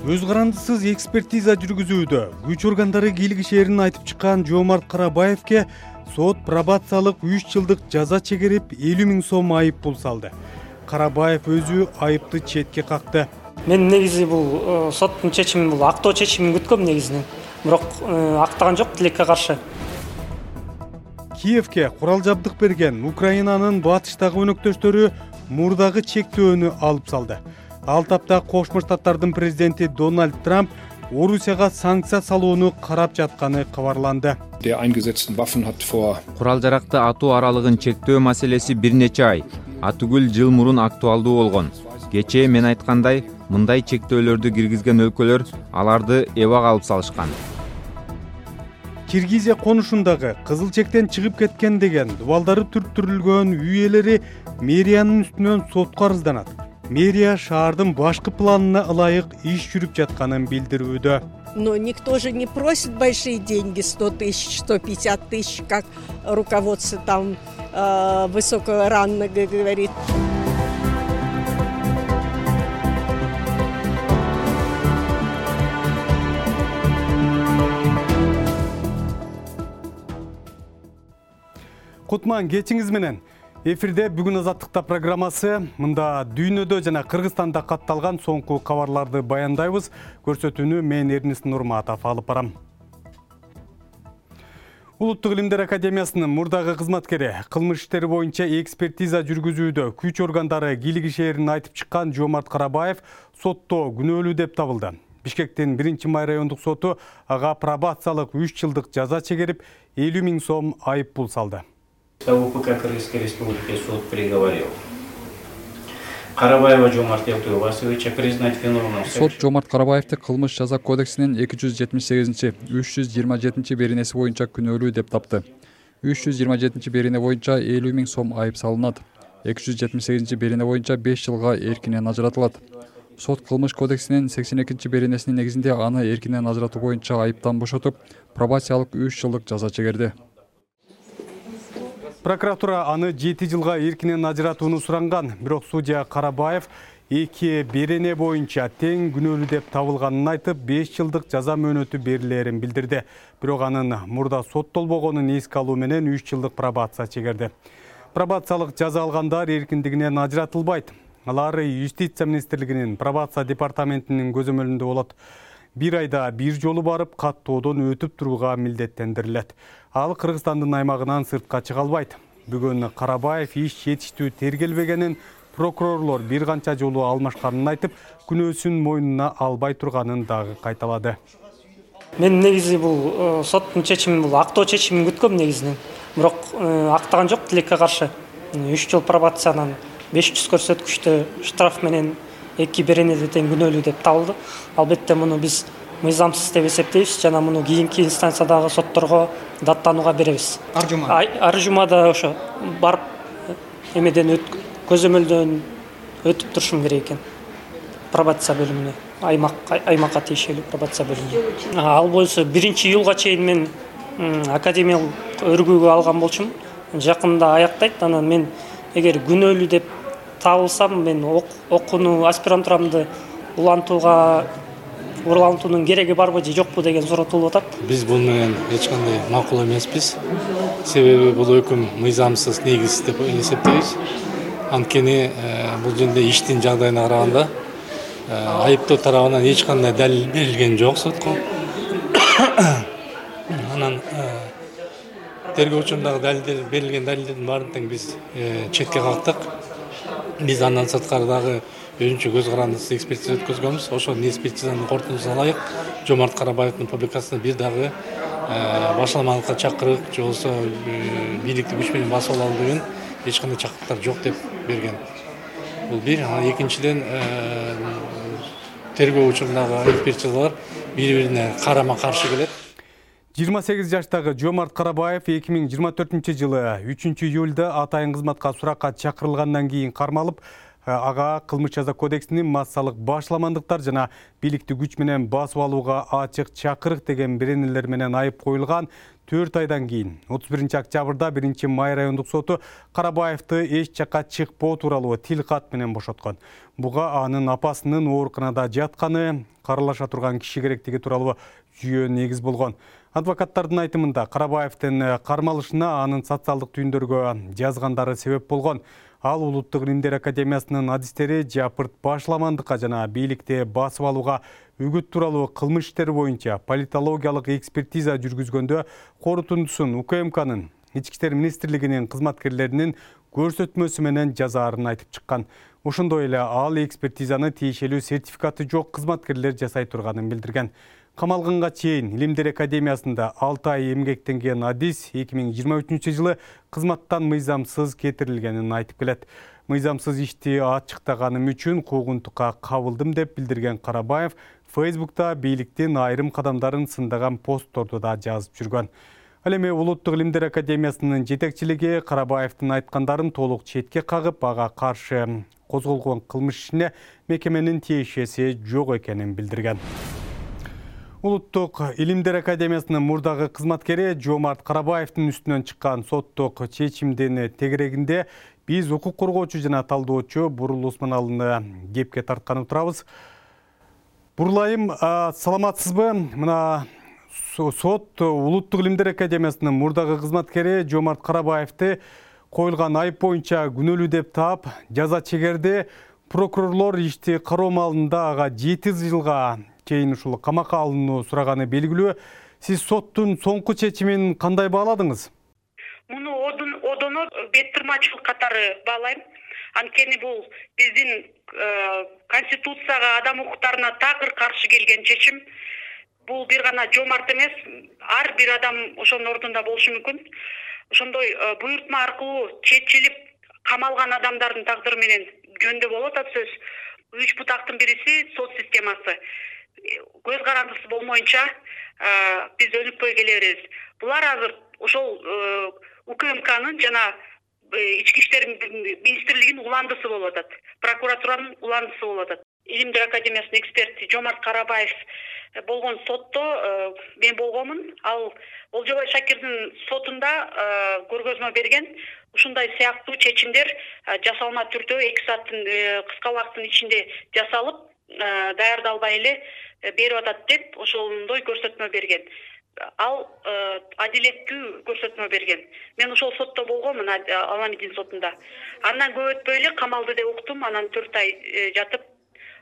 Өз карандысыз экспертиза жүргүзүүдө күч органдары кийлигишээрин айтып чыккан Жомарт Карабаевке сот пробациялык 3 жылдык жаза чегерип 50 000 сом айып пул салды. Карабаев өзү айыпты четке какты. Мен негизи бул соттун чечимин, бул актоо чечимин күткөм негизинен. Бирок актаган жок, тилекке каршы. Киевке курал жабдык берген Украинанын батыштагы өнөктөштөрү мурдагы чектөөнү алып салды. Ал тапта Кошмо Штаттардын президенти Дональд Трамп Орусияга санкция салууну карап жатканы кабарланды. Курал жаракты атуу аралыгын чектөө маселеси бир нече ай, атүгүл жыл мурун актуалдуу болгон. Кечээ мен айткандай, мындай чектөөлөрдү киргизген өлкөлөр аларды эбак алып салышкан. Киргизия конушундагы кызыл чектен чыгып кеткен деген дубалдары түрттүрүлгөн үй ээлери мэриянын үстүнөн сотко арызданат. Мэрия шаардын башкы планына ылайык иш жүрүп жатканын билдирүүдө. Но никто же не просит большие деньги, 100 тысяч, 150 тысяч, как руководство там высокого ранга говорит. Кутман кечиңиз менен. Эфирде бүгүн Азаттыкта программасы. Мында дүйнөдө жана Кыргызстанда катталган соңку кабарларды баяндайбыз. Көрсөтүүнү мен Эрнис Нурматов алып барам. Улуттук илимдер академиясынын мурдагы кызматкери кылмыш иштери боюнча экспертиза жүргүзүүдө күч органдары кийлигишээрин айтып чыккан Жомарт Карабаев сотто күнөөлүү деп табылды. Бишкектин 1-май райондук соту ага пробациялык 3 жылдык жаза чегерип 50 000 сом айып пул салды. УПК Кыргызской Республики суд приговорил Карабаева Жомарта Васильевича признать виновным. Сот Жомарт Карабаевди кылмыш жаза кодексинин 278-327 беренеси боюнча күнөөлүү деп тапты. 327 берене боюнча 50 000 сом айып салынат. 278 берене боюнча 5 жылга эркинен ажыратылат. Сот кылмыш кодексинин 82 беренесинин негизинде аны эркинен ажыратуу боюнча айыптан бошотуп, пробациялык 3 жылдык жаза чегерди. Прокуратура аны 7 жылга эркинен ажыратууну суранган, бирок судья Карабаев 2 берене боюнча тең күнөөлүү деп табылганын айтып, 5 жылдык жаза мөөнөтү берилерин билдирди. Бирок анын мурда соттолбогонун эске алуу менен 3 жылдык пробация чегерди. Пробациялык жаза алгандар эркиндигинен ажыратылбайт. Алар Юстиция министрлигинин пробация департаментинин көзөмөлүндө болот. 1 айда 1 жолу барып, каттоодон өтүп турууга милдеттендирилет. Ал Кыргызстандын аймагынан сыртка чыга албайт. Бүгүн Карабаев иш жетиштүү тергелбегенин, прокурорлор бир канча жолу алмашканын айтып, күнөөсүн мойнуна албай турганын дагы кайталады. Мен негизи бул соттун чечимин, бул актоо чечимин күткөм негизинен. Бирок актаган жок, тилекке каршы. 3 жыл пробациянан 500 көрсөткүчтө штраф менен 2 беренеде тең күнөөлүү деп табылды. Албетте муну биз мыйзамсыз деп эсептейбиз жана муну кийинки инстанциядагы сотторго даттанууга беребиз. Ар жумада ошо барып эмеден көзөмөлдөн өтүп турушум керек экен. Пробация бөлүмүнө, аймакка тиешелүү пробация бөлүмүнө. Ал болсо 1-июлга чейин мен академиялык өргүүгө алган болчумун. Жакында аяктайт. Анан мен эгер күнөөлүү деп табылсам, мен окууну, аспирантурамды улантуунун кереги барбы же жокпу деген суроо туулуп атат. Биз бул менен эч кандай макул эмеспиз. Себеби бул өкүм мыйзамсыз, негизсиз деп эсептейбиз. Анткени бул жерде иштин жагдайына караганда айыптоо тарабынан эч кандай далил берилген жок сотко. Анан тергөө учурундагы берилген далилдердин баарын тең биз четке кактык. Биз андан сырткары дагы өзүнчө көз карандысыз экспертиза өткөзгөнбүз. Ошол экспертизанын корутундусуна ылайык Жомарт Карабаевдин публикациясына бир дагы башаламалыкка чакырык, же болбосо бийликти күч менен басып алалы деген эч кандай чакырыктар жок деп берген. Бул бир. Экинчиден тергөө учурундагы экспертизалар бири-бирине карама-каршы келет. 28 жаштагы Жомарт Карабаев 2024-жылы 3-июлда атайын кызматка суракка чакырылгандан кийин кармалып, ага кылмыш жаза кодексинин массалык башламандыктар жана бийликти күч менен басып алууга ачык чакырык деген беренелер менен айып коюлган. 4 айдан кийин 31-октябрда 1-Май райондук соту Карабаевди эч жакка чыкпоо тууралуу тил кат менен бошоткон. Буга анын апасынын ооруканада жатканы, каралаша турган киши керектиги тууралуу жүйө негиз болгон. Адвокаттардын айтымында Карабаевдин кармалышына анын социалдык түйүндөргө жазгандары себеп болгон. Ал Улуттук илимдер академиясынын адистери жапырт башламандыкка жана бийликти басып алууга үгүт тууралуу кылмыш иштери боюнча политологиялык экспертиза жүргүзгөндө корутундусун УКМКнын Ички иштер министрлигинин кызматкерлеринин көрсөтмөсү менен жазаарын айтып чыккан. Ошондой эле ал экспертизаны тиешелүү сертификаты жок кызматкерлер жасай турганын билдирген. Камалганга чейин Илимдер академиясында 6 ай эмгектенген адис 2023 жылы кызматтан мыйзамсыз кетирилгенин айтып келет. Мыйзамсыз ишти ачыктаганым үчүн куугунтукка кабылдым деп билдирген Карабаев Фейсбукта бийликтин айрым кадамдарын сындаган постторду да жазып жүргөн. Ал эми Улуттук илимдер академиясынын жетекчилиги Карабаевдин айткандарын толук четке кагып, ага каршы козголгон кылмыш ишине мекеменин тиешеси жок экенин билдирген. Улуттук илимдер академиясынын мурдагы кызматкери Жомарт Карабаевдин үстүнөн чыккан соттук чечимдин тегерегинде биз укук коргоочу жана талдоочу Бурул Усманалыны кепке тарткан турабыз. Бурлайым, саламатсызбы? Мына сот Улуттук илимдер академиясынын мурдагы кызматкери Жомарт Карабаевди коюлган айып боюнча күнөөлүү деп таап, жаза чегерди. Прокурорлор ишти кароо маалында ага 7 жылга чейин ушул камакка алынуу сураганы белгилүү. Сиз соттун соңку чечимин кандай бааладыңыз? Муну одоно беттырмачылык катары баалайм. Анткени бул биздин конституцияга, адам укуктарына такыр каршы келген чечим. Бул бир гана Жомарт эмес, ар бир адам ошонун ордунда болушу мүмкүн. Ошондой буйртма аркылуу чечилип камалган адамдардын тагдыры менен жөндө болуп атат сөз. 3 бутактын бириси сот системасы. Көз карандысы болмоюнча биз өнүкпөй келе беребиз. Булар азыр ошол УКМКнын жана Ички иштер министрлигинин уландысы болуп атат. Прокуратуранын уландысы болуп атат. Илимдер академиясынын эксперти Жомарт Карабаев болгон сотто мен болгомун. Ал Олжобай Шакирдин сотунда көргөзмө берген. Ушундай сыяктуу чечимдер жасалма түрдө 2 сааттын кыска убакыттын ичинде жасалып, даярдалбай эле берип атат деп ошондой көрсөтмө берген. Ал адилеттүү көрсөтмө берген. Мен ошол сотто болгомун, Аламидин сотунда. Андан көп өтпөй эле камалды деп уктум, анан 4 ай жатып,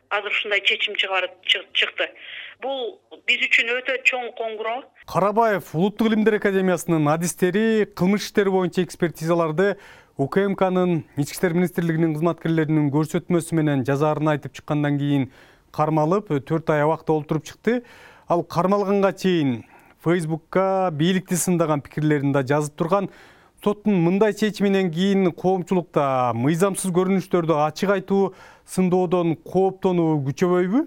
азыр ушундай чечим чыкты. Бул биз үчүн өтө чоң коңгуроо. Карабаев Улуттук илимдер академиясынын адистери кылмыш иштери боюнча экспертизаларды УКМКнын Ички иштер министрлигинин кызматкерлеринин көрсөтмөсү менен жазаарын айтып чыккандан кийин кармалып 4 ай абакта олтуруп чыкты. Ал кармалганга чейин Фейсбукка бийликти сындаган пикирлерин да жазып турган. Соттун мындай чечиминен кийин коомчулукта мыйзамсыз көрүнүштөрдү ачык айтуу, сындоодон кооптонуу күчөбөйбү?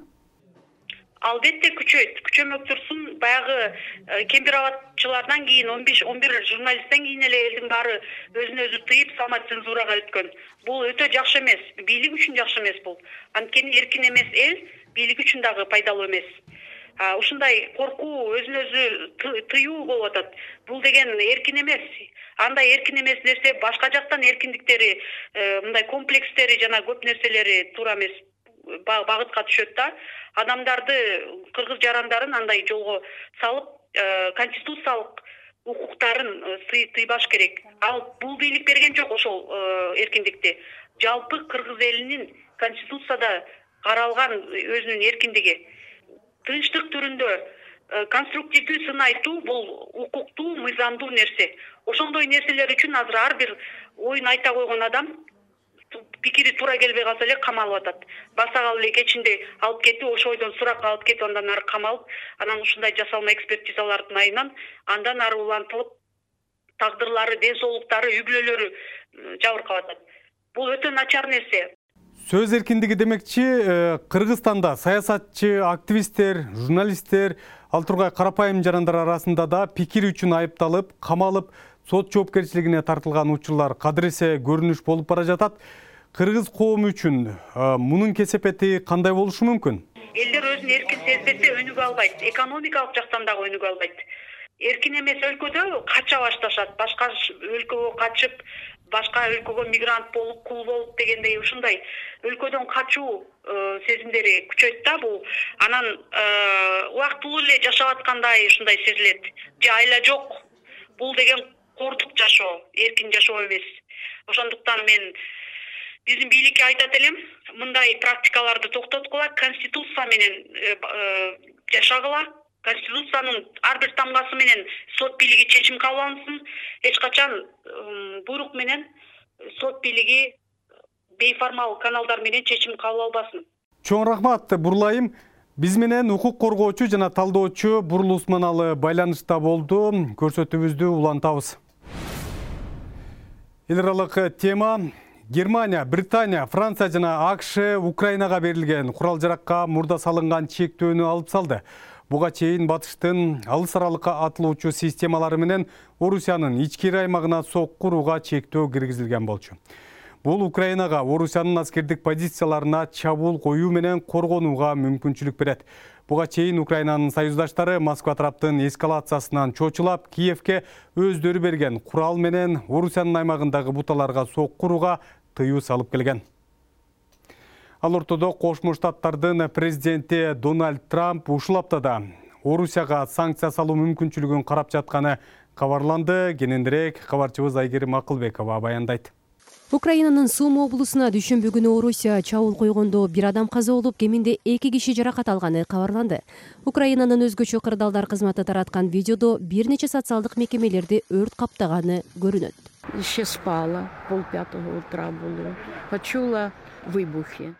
Албетте күчөйт. Күчөмөк турсун. Баягы кемпир абадчылардан кийин 15-11 журналисттен кийин эле элдин баары өзүн өзү тыйып самоцензурага өткөн. Бул өтө жакшы эмес. Бийлик үчүн жакшы эмес бул. Анткени эркин эмес эл бийлик үчүн дагы пайдалуу эмес. Ушундай коркуу, өзүн өзү тыюу болуп атат. Бул деген эркин эмес. Андай эркин эмес нерсе башка жактан эркиндиктери, мындай комплекстери жана көп нерселери туура эмес багытка түшөт да. Адамдарды, кыргыз жарандарын андай жолго салып, конституциялык укуктарын тыйбаш керек. Ал бул бийлик берген жок ошол эркиндикти. Жалпы кыргыз элинин конституцияда каралган өзүнүн эркиндиги. Тынчтык түрүндө конструктивдүү сын айтуу бул укуктуу, мыйзамдуу нерсе. Ошондой нерселер үчүн азыр ар бир оюн айта койгон адам пикири туура келбей калса эле камалып атат. Баса калып эле кечинде алып кетип, ошол ойдон суракка алып кетип, андан ары камалып, анан ушундай жасалма экспертизалардын айынан андан ары улантылып, тагдырлары, ден соолуктары, үй бүлөлөрү жабыркап атат. Бул өтө начар нерсе. Сөз эркиндиги демекчи, Кыргызстанда саясатчы, активисттер, журналисттер, ал тургай карапайым жарандар арасында да пикир үчүн айыпталып, камалып, сот жоопкерчилигине тартылган учурлар кадыресе көрүнүш болуп бара жатат. Кыргыз коому үчүн мунун кесепети кандай болушу мүмкүн? Элдер өзүн эркин сезбесе өнүгө албайт, экономикалык жактан дагы өнүгө албайт. эркин эмес өлкөдө кача башташат, башка өлкөгө качып, башка өлкөгө мигрант болуп, кул болуп дегендей ушундай өлкөдөн качуу сезимдери күчөйт да бул. Анан убактылуу эле жашап аткандай ушундай сезилет. Же айла жок. Бул деген кордук жашоо, эркин жашоо эмес. Ошондуктан мен биздин бийликке айтат элем, мындай практикаларды токтоткула, конституция менен жашагыла. Конституциянын ар бир тамгасы менен сот бийлиги чечим кабыл алынсын. Эч качан буйрук менен сот бийлиги бейформал каналдар менен чечим кабыл албасын. Чоң рахмат, Бурлайым. Биз менен укук коргоочу жана талдоочу Бурул Усманалы байланышта болду. Көрсөтүүбүздү улантабыз. Эл аралык тема: Германия, Британия, Франция жана АКШ Украинага берилген курал-жаракка мурда салынган чектөөнү алып салды. Буга чейин батыштын алыс аралыкка атылуучу системалары менен Орусиянын ички аймагына сокку урууга чектөө киргизилген болчу. Бул Украинага Орусиянын аскердик позицияларына чабуул коюу менен коргонууга мүмкүнчүлүк берет. Буга чейин Украинанын союздаштары Москва тараптын эскалациясынан чочулап, Киевке өздөрү берген курал менен Орусиянын аймагындагы буталарга сокку урууга тыюу салып келген. Ал ортодо Кошмо Штаттардын президенти Дональд Трамп ушул аптада Орусияга санкция салуу мүмкүнчүлүгүн карап жатканы кабарланды. Кененирээк кабарчыбыз Айгерим Акылбекова баяндайт. Украинанын Суми облусуна дүйшөмбү күнү Орусия чабуул койгондо бир адам каза болуп, кеминде 2 киши жаракат алганы кабарланды. Украинанын өзгөчө кырдаалдар кызматы тараткан видеодо бир нече социалдык мекемелерди өрт каптаганы көрүнөт. Еще спала, 4:30 утра было. Почула выбухи.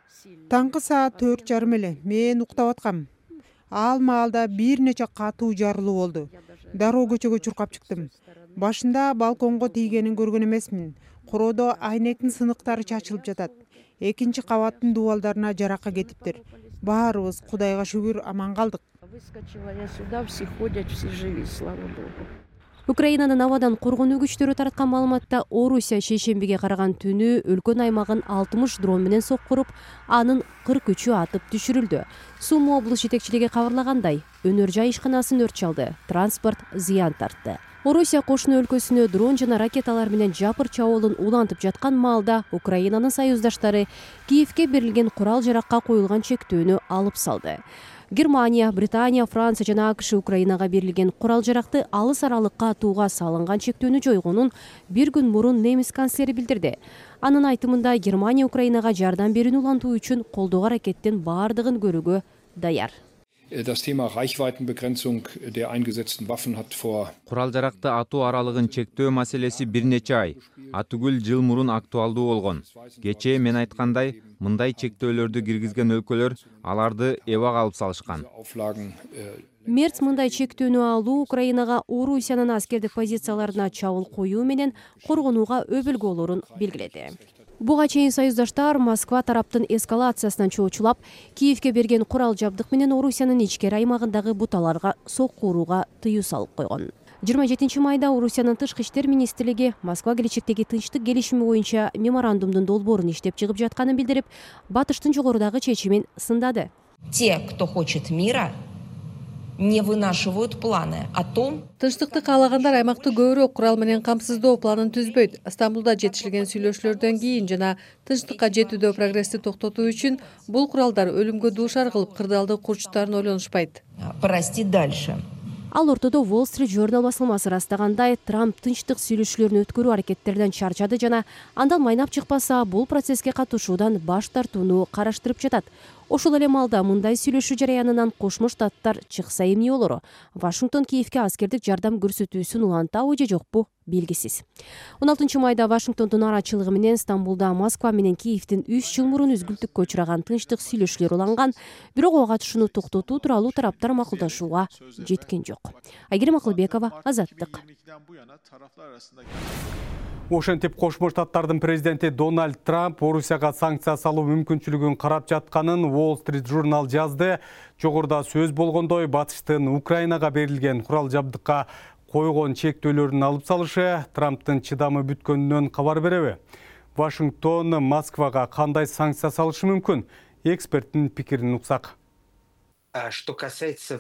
Таңкы саат 4:30 эле мен уктап аткам. Ал маалда бир нече катуу жарылуу болду. Дароо көчөгө чуркап чыктым. Башында балконго тийгенин көргөн эмесмин. Короодо айнектин сыныктары чачылып жатат. Экинчи кабаттын дубалдарына жаракка кетиптир. Баарыбыз Кудайга шүгүр аман калдык. Выскочила я сюда, все ходят, все живы, слава богу. Украинанын абадан коргонуу күчтөрү тараткан маалыматта Орусия шейшембиге караган түнү өлкөн аймагын 60 дрон менен соккуруп, анын 43-ü атып түшүрүлдү. Суми облус жетекчилиги кабарлагандай, өнөр жай ишканасын өрт чалды, транспорт зыян тартты. Орусия кошуна өлкөсүнө дрон жана ракеталар менен жапыр чабуулун улантып жаткан маалда Украинанын союздаштары Киевке берилген курал-жаракка коюлган чектөөнү алып салды. Германия, Британия, Франция жана АКШ Украинага берилген курал-жаракты алыс аралыкка атууга салынган чектөөнү жойгонун бир күн мурун немис канцлери билдирди. Анын айтымында Германия Украинага жардам берүүнү улантуу үчүн колдоо аракеттин баардыгын көрүүгө даяр. Das Thema Reichweitenbegrenzung der eingesetzten Waffen hat vor Курал-жаракты атуу аралыгын чектөө маселеси бир нече ай, атүгүл жыл мурун актуалдуу болгон. Кечээ мен айткандай, мындай чектөөлөрдү киргизген өлкөлөр аларды эбак алып салышкан. Мерц мындай чектөөнү алуу Украинага Орусиянын аскердик позицияларына чабуул коюу менен коргонууга өбөлгө болорун белгиледи. Буга чейин союздаштар Москва тараптын эскалациясынан чоочулап, Киевке берген курал жабдык менен Орусиянын ичкери аймагындагы буталарга сокку урууга тыюу салып койгон. 27 майда Орусиянын тышкы иштер министрлиги Москва келечектеги тынчтык келишими боюнча меморандумдун долбоорун иштеп чыгып жатканын билдирип, батыштын жогорудагы чечимин сындады. Те, кто хочет мира, не вынашивают планы о том. Тынчтыкты каалагандар аймакты көбүрөөк курал менен камсыздоо планын түзбөйт. Стамбулда жетишилген сүйлөшүүлөрдөн кийин жана тынчтыкка жетүүдө прогрессти токтотуу үчүн бул куралдар өлүмгө дуушар кылып кырдаалды курчтарын ойлонушпайт. Прости дальше. Ал ортодо Wall Street Journal басылмасы растагандай, Трамп тынчтык сүйлөшүүлөрүн өткөрүү аракеттерден чарчады жана андан майнап чыкпаса, бул процесске катышуудан баш тартууну караштырып жатат. Ошол эле маалда мындай сүйлөшүү жараянынан Кошмо Штаттар чыкса эмне болору? Вашингтон Киевке аскердик жардам көрсөтүүсүн улантабы же жокпу белгисиз. 16 майда Вашингтондун арачылыгы менен Стамбулда Москва менен Киевдин 3 жыл мурун үзгүлтүккө учураган тынчтык сүйлөшүүлөр уланган, бирок ага катышууну токтотуу тууралуу тараптар макулдашууга жеткен жок. Айгерим Акылбекова, Азаттык. Ошентип Кошмо Штаттардын президенти Дональд Трамп Орусияга санкция салуу мүмкүнчүлүгүн карап жатканын Wall Street Journal жазды. Жогоруда сөз болгондой, батыштын Украинага берилген курал жабдыкка койгон чектөөлөрүн алып салышы Трамптын чыдамы бүткөнүнөн кабар береби? Вашингтон Москвага кандай санкция салышы мүмкүн? Эксперттин пикирин уксак. Что касается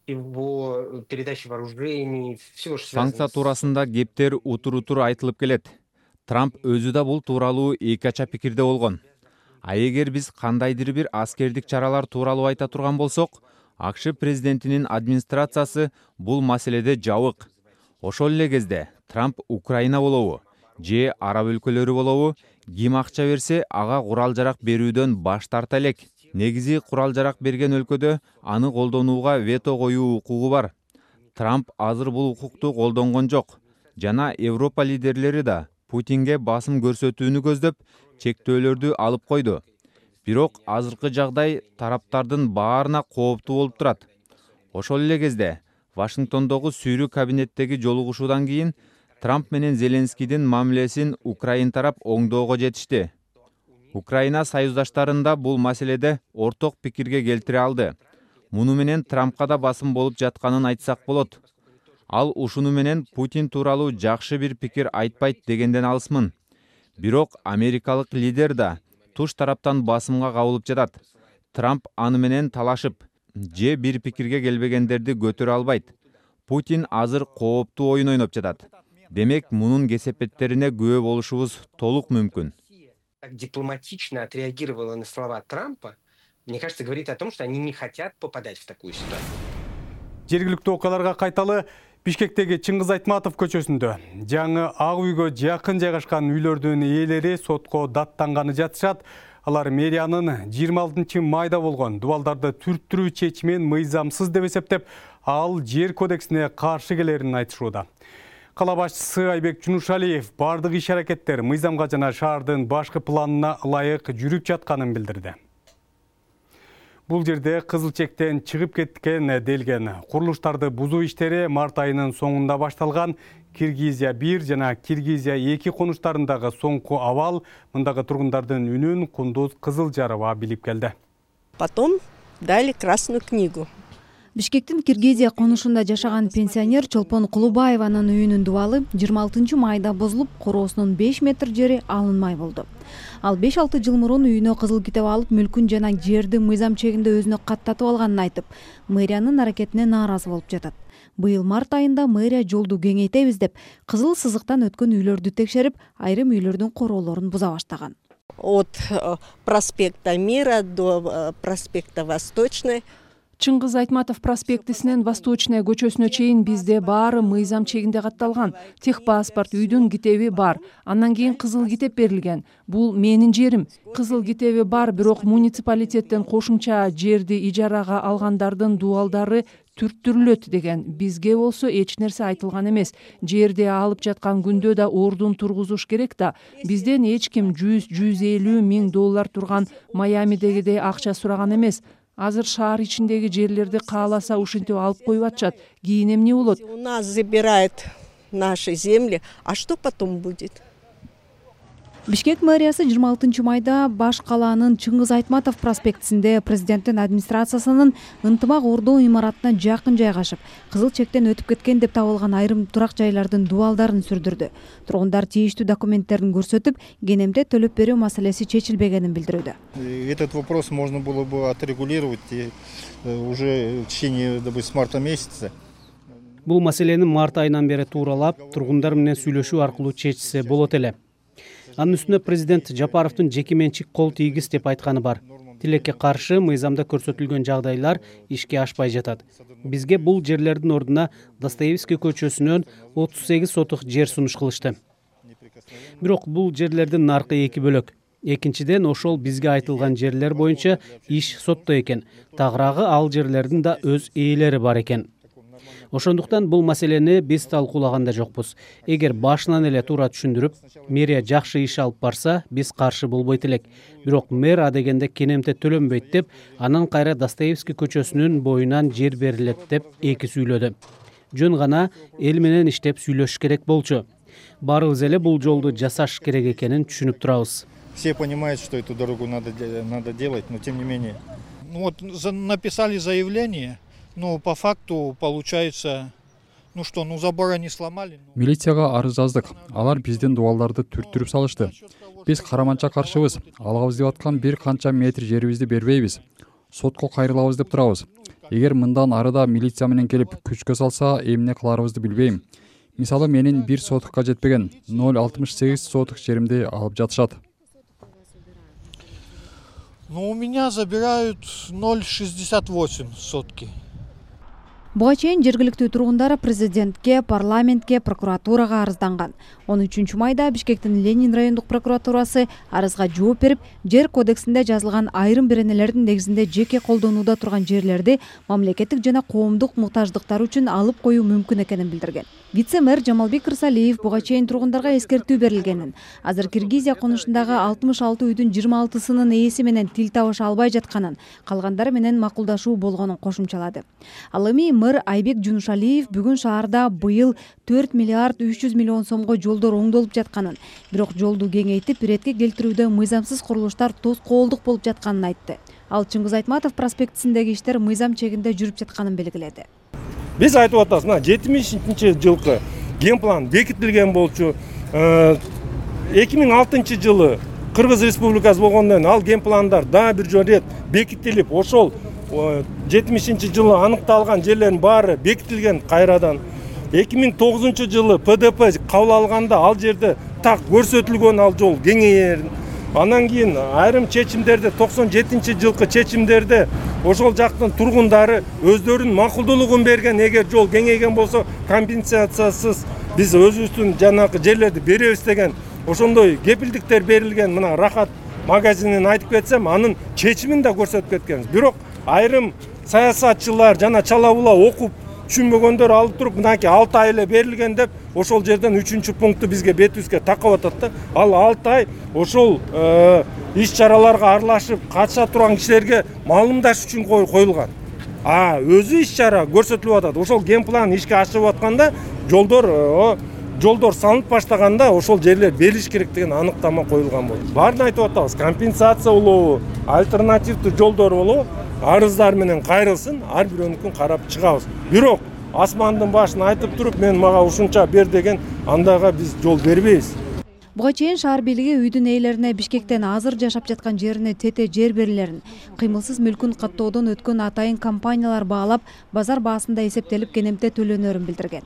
его передачи вооружений, всего, что связано Санкция туурасында кептер утур айтылып келет. Трамп өзү да бул тууралуу эки ача пикирде болгон. А эгер биз кандайдыр бир аскердик чаралар тууралуу айта турган болсок, АКШ президентинин администрациясы бул маселеде жабык. Ошол эле кезде Трамп Украина болобу же араб өлкөлөрү болобу, ким акча берсе ага курал-жарак берүүдөн баш тарта элек. Негизи курал-жарак берген өлкөдө аны колдонууга вето коюу укугу бар. Трамп азыр бул укукту колдонгон жок. Жана Европа лидерлери да Путинге басым көрсөтүүнү көздөп, чектөөлөрдү алып койду. Бирок азыркы жагдай тараптардын баарына кооптуу болуп турат. Ошол эле кезде Вашингтондогу сүйрүү кабинеттеги жолугушуудан кийин Трамп менен Зеленскийдин мамилесин Украин тарап оңдоого жетишти. Украина союздаштарында бул маселеде орток пикирге келтире алды. Муну менен Трампка да басым болуп жатканын айтсак болот. Ал ушуну менен Путин тууралуу жакшы бир пикир айтпайт дегенден алысмын. Бирок америкалык лидер да туш тараптан басымга кабылып жатат. Трамп аны менен талашып, же бир пикирге келбегендерди көтөрө албайт. Путин азыр кооптуу оюн ойноп жатат. Демек, мунун кесепеттерине күбө болушубуз толук мүмкүн. Так дипломатично отреагировала на слова Трампа, мне кажется, говорит о том, что они не хотят попадать в такую ситуацию. Жергиликтүү окуяларга кайталы. Бишкектеги Чыңгыз Айтматов көчөсүндө жаңы Ак үйгө жакын жайгашкан үйлөрдүн ээлери сотко даттанганы жатышат. Алар мэриянын 26 майда болгон дубалдарды түрттүрүү чечимин мыйзамсыз деп эсептеп, ал жер кодексине каршы келерин айтышууда. Кала башчысы Айбек Жунушалиев бардык иш-аракеттер мыйзамга жана шаардын башкы планына ылайык жүрүп жатканын билдирди. Бул жерде кызыл чектен чыгып кеткен делген. Курулуштарды бузуу иштери март айынын соңунда башталган. Киргизия 1 жана Киргизия 2 конуштарындагы соңку абал мындагы тургундардын үнүн Кундуз Кызылжарова билип келди. Потом дали красную книгу. Бишкектин Киргизия конушунда жашаган пенсионер Чолпон Кулубаеванын үйүнүн дубалы 26 майда бузулуп, короосунун 5 метр жери алынмай болду. Ал 5-6 жыл мурун үйүнө кызыл китеп алып, мүлкүн жана жерди мыйзам чегинде өзүнө каттатып алганын айтып, мэриянын аракетине нааразы болуп жатат. Быйыл март айында мэрия жолду кеңейтебиз деп, кызыл сызыктан өткөн үйлөрдү текшерип, айрым үйлөрдүн короолорун буза баштаган. От проспекта Мира до проспекта Восточный. Чыңгыз Айтматов проспектисинен Восточная көчөсүнө чейин бизде баары мыйзам чегинде катталган. Техпаспорт, үйдүн китеби бар. Андан кийин кызыл китеп берилген. Бул менин жерим. Кызыл китеби бар, бирок муниципалитеттен кошумча жерди ижарага алгандардын дубалдары түрттүрүлөт деген. Бизге болсо эч нерсе айтылган эмес. Жерди алып жаткан күндө да ордун тургузуш керек да. Бизден эч ким 100-150 миң доллар турган Майамидегидей акча сураган эмес. Азыр шаар ичиндеги жерлерди кааласа ушинтип алып коюп атышат. Кийин эмне болот? У нас забирают наши земли, а что потом будет? Бишкек мэриясы 26 майда баш калаанын Чыңгыз Айтматов проспектисинде президенттин администрациясынын ынтымак ордоо имаратына жакын жайгашып, кызыл чектен өтүп кеткен деп табылган айрым турак жайлардын дубалдарын сүрдүрдү. Тургундар тийиштүү документтерин көрсөтүп, кенемде төлөп берүү маселеси чечилбегенин билдирүүдө. Этот вопрос можно было бы отрегулировать уже в течение, допустим, марта месяца. Бул маселени март айынан бери тууралап, тургундар менен сүйлөшүү аркылуу чечсе болот эле. Анын үстүнө президент Жапаровдун жеке менчик кол тийгиз деп айтканы бар. Тилекке каршы мыйзамда көрсөтүлгөн жагдайлар ишке ашпай жатат. Бизге бул жерлердин ордуна Достоевский көчөсүнөн 38 сотук жер сунуш кылышты. Бирок бул жерлердин наркы эки бөлөк. Экинчиден, ошол бизге айтылган жерлер боюнча иш сотто экен. Тагыраагы ал жерлердин да өз ээлери бар экен. Ошондуктан бул маселени биз талкуулаган да жокпуз. Эгер башынан эле туура түшүндүрүп, мэрия жакшы иш алып барса, биз каршы болбойт элек. Бирок мэр адегенде кенемте төлөнбөйт деп, анан кайра Достоевский көчөсүнүн боюнан жер берилет деп эки сүйлөдү. Жөн гана эл менен иштеп сүйлөшүш керек болчу. Баарыбыз эле бул жолду жасаш керек экенин түшүнүп турабыз. Все понимают, что эту дорогу надо делать, но тем не менее. Вот написали заявление. Ну, по факту получается, забора не сломали. Милицияга арыз жаздык. Алар биздин дубалдарды түрттүрүп салышты. Биз караманча каршыбыз. Алабыз деп аткан бир канча метр жерибизди бербейбиз. сотко кайрылабыз деп турабыз. Эгер мындан арыда милиция менен келип күчкө салса, эмне кыларыбызды билбейм. Мисалы менин 1 сотукка жетпеген 0,68 сотук жеримди алып жатышат. Ну, у меня забирают 0,68 сотки. Буга чейин жергиликтүү тургундар президентке, парламентке, прокуратурага арызданган. 13 майда Бишкектин Ленин райондук прокуратурасы арызга жооп берип, жер кодексинде жазылган айрым беренелердин негизинде жеке колдонууда турган жерлерди мамлекеттик жана коомдук муктаждыктар үчүн алып коюу мүмкүн экенин билдирген. Вице-мэр Жамалбек Рысалиев буга чейин тургундарга эскертүү берилгенин, азыр Киргизия конушундагы 66 үйдүн 26сынын ээси менен тил табыша албай жатканын, калгандары менен макулдашуу болгонун кошумчалады. Ал эми мэр Айбек Жунушалиев бүгүн шаарда быйыл 4 миллиард 300 миллион сомго жолдор оңдолуп жатканын, бирок жолду кеңейтип иретке келтирүүдө мыйзамсыз курулуштар тоскоолдук болуп жатканын айтты. Ал Чыңгыз Айтматов проспектисиндеги иштер мыйзам чегинде жүрүп жатканын белгиледи. Биз айтып атабыз, 70-жылкы генплан бекитилген болчу. 2006 жылы Кыргыз Республикасы болгондон ал генпландар да бир жолу рет бекитилип, ошол 70-жылы аныкталган жерлердин баары бекитилген кайрадан. 2009 жылы ПДП кабыл алганда ал жерде так көрсөтүлгөн ал жол кеңейер. Анан кийин айрым чечимдерде 97 жылкы чечимдерде ошол жактын тургундары өздөрүнүн макулдуулугун берген. Эгер жол кеңейген болсо компенсациясыз биз өзүбүздүн жанакы жерлерди беребиз деген ошондой кепилдиктер берилген. Мына Рахат магазинин айтып кетсем, анын чечимин да көрсөтүп кеткенбиз. Бирок айрым саясатчылар жана чала була окуп түшүнбөгөндөр алып туруп, мынакей 6 ай эле берилген деп ошол жерден 3-пункту бизге бетибизге такап атат да. Ал 6 ай ошол иш-чараларга аралашып катыша турган кишилерге маалымдаш үчүн коюлган. Өзү иш-чара көрсөтүлүп атат. Ошол генплан ишке ашып атканда жолдор салынып баштаганда ошол жерлер берилиш керек деген аныктама коюлган болду. Баарын айтып атабыз, компенсация болобу, альтернативдүү жолдор болобу, арыздар менен кайрылсын, ар бирөөнүкүн карап чыгабыз. Бирок асмандын башын айтып туруп, мен мага ушунча бер деген андайга биз жол бербейбиз. Буга чейин шаар бийлиги үйдүн ээлерине Бишкектен азыр жашап жаткан жерине тете жер берилерин, кыймылсыз мүлкүн каттоодон өткөн атайын компаниялар баалап, базар баасында эсептелип кенемте төлөнөрүн билдирген.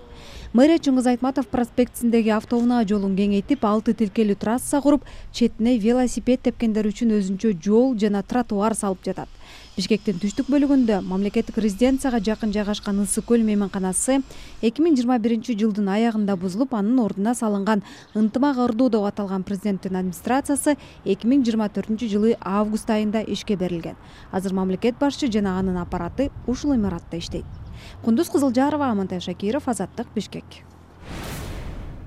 Мэрия Чыңгыз Айтматов проспектисиндеги автоунаа жолун кеңейтип, 6 тилкелүү трасса куруп, четине велосипед тепкендер үчүн өзүнчө жол жана тротуар салып жатат. Бишкектин түштүк бөлүгүндө мамлекеттик резиденцияга жакын жайгашкан Ысык көл мейманканасы 2021 жылдын аягында бузулуп, анын ордуна салынган ынтымак ырдуу деп аталган президенттин администрациясы 2024 жылы август айында ишке берилген. Азыр мамлекет башчы жана анын аппараты ушул имаратта иштейт. Кундуз Кызылжарова, Амантай Шакиров, Азаттык, Бишкек.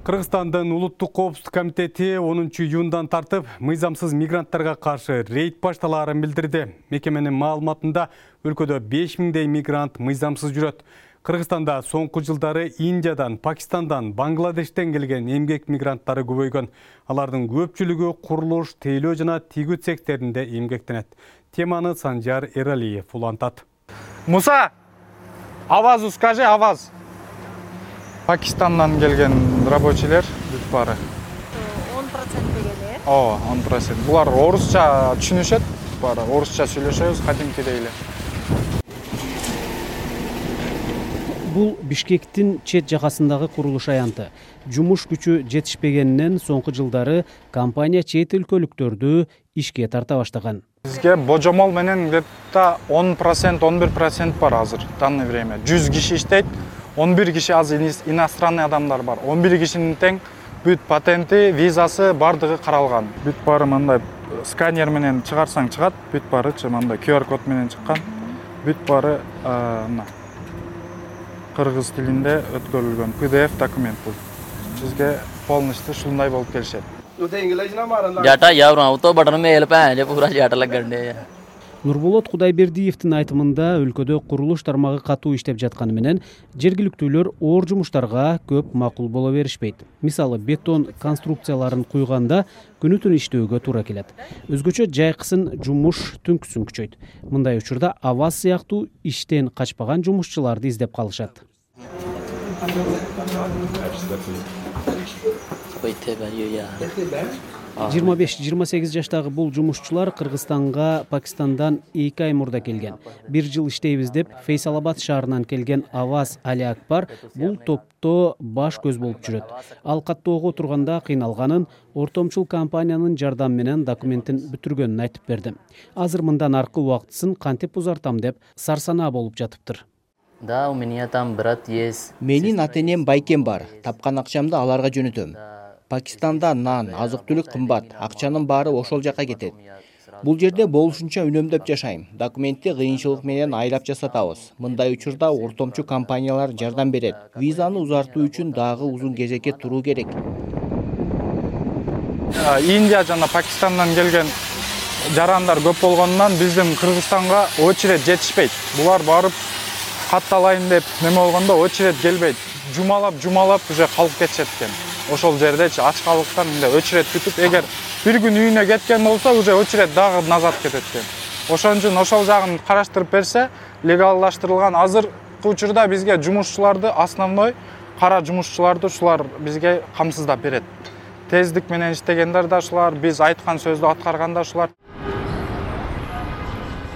Кыргызстандын улуттук коопсуздук комитети 10 июндан тартып мыйзамсыз мигранттарга каршы рейд башталаарын билдирди. Мекеменин маалыматында өлкөдө 5000дей мигрант мыйзамсыз жүрөт. Кыргызстанда соңку жылдары Индиядан, Пакистандан, Бангладештен келген эмгек мигранттары көбөйгөн. Алардын көпчүлүгү курулуш, тейлөө жана тигүү цехтеринде эмгектенет. Теманы Санжар Эралиев улантат. Муса, авазу скажи, аваз. Пакистандан келген рабочийлер бүт баары. 10% дегени? 10%. Булар орусча түшүнүшөт, баары орусча сүйлөшөбүз, кадимкидей эле. Бул Бишкектин чет жакасындагы курулуш аянты. Жумуш күчү жетишпегенинен соңку жылдары компания чет өлкөлүктөрдү ишке тарта баштаган. Бизге божомол менен где-то 10%, 11% бар азыр, данное время. 100 киши иштейт, 11 киши аз иностранный адамдар бар. 11 кишинин тең бүт патенти, визасы бардыгы каралган. Бүт баары мындай сканер менен чыгарсаң чыгат, бүт баарычы мындай QR код менен чыккан. Бүт баары кыргыз тилинде өткөрүлгөн PDF документ бул. Бизге полностью ушундай болуп келишет. Жата явран авто бадан мейл пен пура жата лаганде. Нурболот Кудайбердиевдин айтымында өлкөдө курулуш тармагы катуу иштеп жатканы менен жергиликтүүлөр оор жумуштарга көп макул боло беришпейт. Мисалы, бетон конструкцияларын куйганда күнү-түн иштөөгө туура келет. Өзгөчө жайкысын жумуш түнкүсүн күчөйт. Мындай учурда аваз сыяктуу иштен качпаган жумушчуларды издеп калышат. 25-28 жаштагы бул жумушчулар Кыргызстанга Пакистандан 2 ай мурда келген. 1 жыл иштейбиз деп Фейсалабад шаарынан келген Аваз Али Акбар бул топто баш көз болуп жүрөт. Ал каттоого турганда кыйналганын, ортомчул компаниянын жардамы менен документин бүтүргөнүн айтып берди. Азыр мындан аркы убактысын кантип узартам деп сарсанаа болуп жатыптыр. Да, у меня там брат есть. Менин ата-энем байкем бар. Тапкан акчамды аларга жөнөтөм. Пакистанда нан, азык-түлүк кымбат, акчанын баары ошол жака кетет. Бул жерде болушунча үнөмдөп жашайм. Документти кыйынчылык менен айлап жасатабыз. Мындай учурда ортомчу компаниялар жардам берет. Визаны узартуу үчүн дагы узун кезекке туруу керек. Индия жана Пакистандан келген жарандар көп болгондон биздин Кыргызстанга очередь жетишпейт. Булар барып катталайын деп неме болгондо очередь келбейт. Жумалап уже калып кетишет экен. Ошол жердечи ачкалыктан мындай очередь күтүп, эгер бир күн үйүнө кеткен болсо, уже очередь дагы назад кетет экен. Ошон үчүн ошол жагын караштырып берсе, легалдаштырылган азыркы учурда бизге жумушчуларды, основной кара жумушчуларды ушулар бизге камсыздап берет. Тездик менен иштегендер да ушулар, биз айткан сөздү аткарган да ушулар.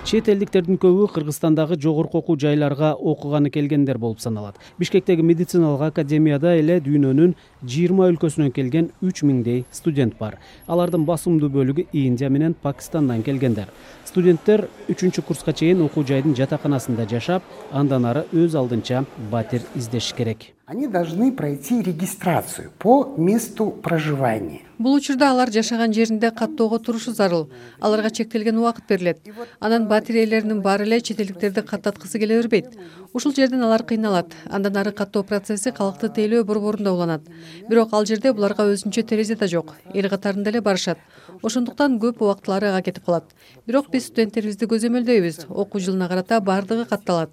Чет элдиктердин көбү Кыргызстандагы жогорку окуу жайларга окуганы келгендер болуп саналат. Бишкектеги медициналык академияда эле дүйнөнүн 20 өлкөсүнөн келген 3000дей студент бар. Алардын басымдуу бөлүгү Индия менен Пакистандан келгендер. Студенттер 3-курска чейин окуу жайдын жатаканасында жашап, андан ары өз алдынча батир издеши керек. Они должны пройти регистрацию по месту проживания. Бул учурда алар жашаган жеринде каттоого турушу зарыл. Аларга чектелген убакыт берилет. Анан батир ээлеринин баары эле чет элдиктерди каттаткысы келе бербейт. Ушул жерден алар кыйналат. Андан ары каттоо процесси калкты тейлөө борборунда уланат. Бирок ал жерде буларга өзүнчө терезе да жок. Эл катарында эле барышат. Ошондуктан көп убактылары ага кетип калат. Бирок биз студенттерибизди көзөмөлдөйбүз. Окуу жылына карата бардыгы катталат.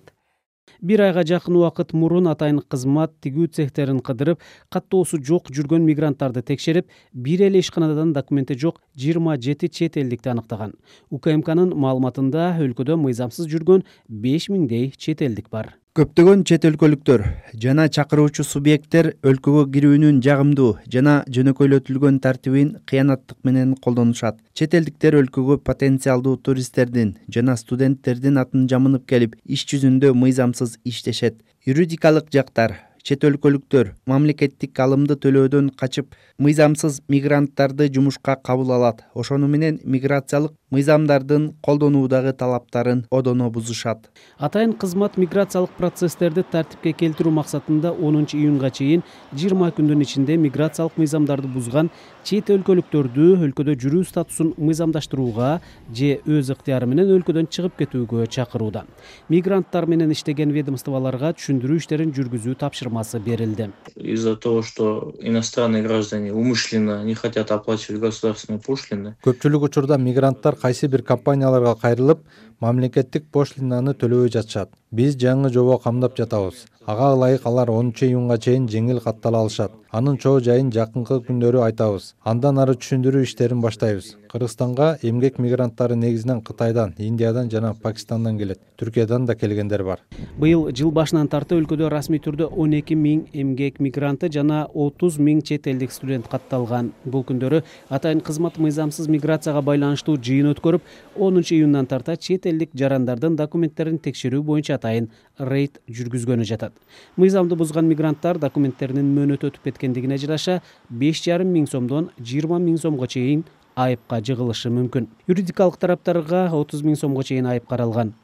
1 айга жакын убакыт мурун атайын кызмат тигүү цехтерин кыдырып, каттоосу жок жүргөн мигранттарды текшерип, бир эле ишканадан документи жок 27 чет элдикти аныктаган. УКМКнын маалыматында өлкөдө мыйзамсыз жүргөн 5000дей чет элдик бар. Көптөгөн чет өлкөлүктөр жана чакыруучу субъекттер өлкөгө кирүүнүн жагымдуу жана жөнөкөйлөтүлгөн тартибин кыянаттык менен колдонушат. Чет элдиктер өлкөгө потенциалдуу туристтердин жана студенттердин атын жамынып келип, иш жүзүндө мыйзамсыз иштешет. Юридикалык жактар чет өлкөлүктөр мамлекеттик алымды төлөөдөн качып, мыйзамсыз мигранттарды жумушка кабыл алат. Ошону менен миграциялык мыйзамдардын колдонуудагы талаптарын одоно бузушат. Атайын кызмат миграциялык процесстерди тартипке келтирүү максатында 10 июнга чейин 20 күндүн ичинде миграциялык мыйзамдарды бузган чет өлкөлүктөрдү өлкөдө жүрүү статусун мыйзамдаштырууга же өз ыктыяры менен өлкөдөн чыгып кетүүгө чакырууда. Мигранттар менен иштеген ведомстволорго түшүндүрүү иштерин жүргүзүү тапшырмасы берилди. Из-за того, что иностранные граждане умышленно не хотят оплачивать государственные пошлины. Көпчүлүк учурда мигранттар кайсы бир компанияларга кайрылып, мамлекеттик пошлинаны төлөбөй жатышат. Биз жаңы жобо камдап жатабыз. Ага ылайык алар 10 июнга чейин жеңил каттала алышат. Анын чоо жайын жакынкы күндөрү айтабыз. Андан ары түшүндүрүү иштерин баштайбыз. Кыргызстанга эмгек мигранттары негизинен Кытайдан, Индиядан жана Пакистандан келет. Түркиядан да келгендер бар. Быйыл жыл башынан тарты өлкөдө расмий түрдө 12 000 эмгек мигранты жана 30 000 чет элдик студент катталган. Бул күндөрү атайын кызмат мыйзамсыз миграцияга байланыштуу жыйын өткөрүп, 10 июндан тарта чет элдик жарандардын документтерин текшерүү боюнча атайын рейд жүргүзгөнү жатат. Мыйзамды бузган мигранттар документтеринин мөөнөтү өтүп кеткендигине жараша 5,5 миң сомдон 20 000 сомго чейин айыпка жыгылышы мүмкүн. Юридикалык тараптарга 30 000 сомго чейин айып каралган.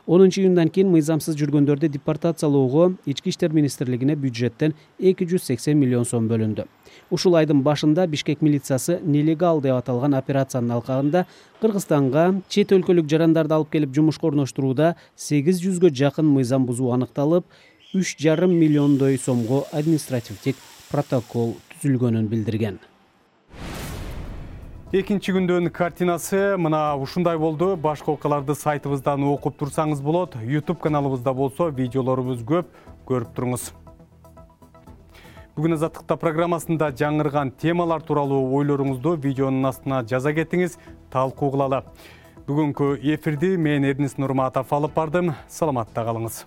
10 июндан кийин мыйзамсыз жүргөндөрдү депортациялоого Ички иштер министрлигине бюджеттен 280 миллион сом бөлүндү. Ушул айдын башында Бишкек милициясы нелегал деп аталган операциянын алкагында Кыргызстанга чет өлкөлүк жарандарды алып келип жумушка орноштурууда 800гө жакын мыйзам бузуу аныкталып, 3,5 миллиондой сомго административдик протокол түзүлгөнүн билдирген. Экинчи күндөн картинасы мына ушундай болду. Башка окуяларды сайтыбыздан окуп турсаңыз болот. YouTube каналыбызда болсо видеолорубуз көп, көрүп туруңуз. Бүгүн Азаттыкта программасында жаңырган темалар тууралуу ойлоруңузду видеонун астына жаза кетиңиз, талкуу кылалы. Бүгүнкү эфирди мен Эрнис Нурматов алып бардым. Саламатта калыңыз.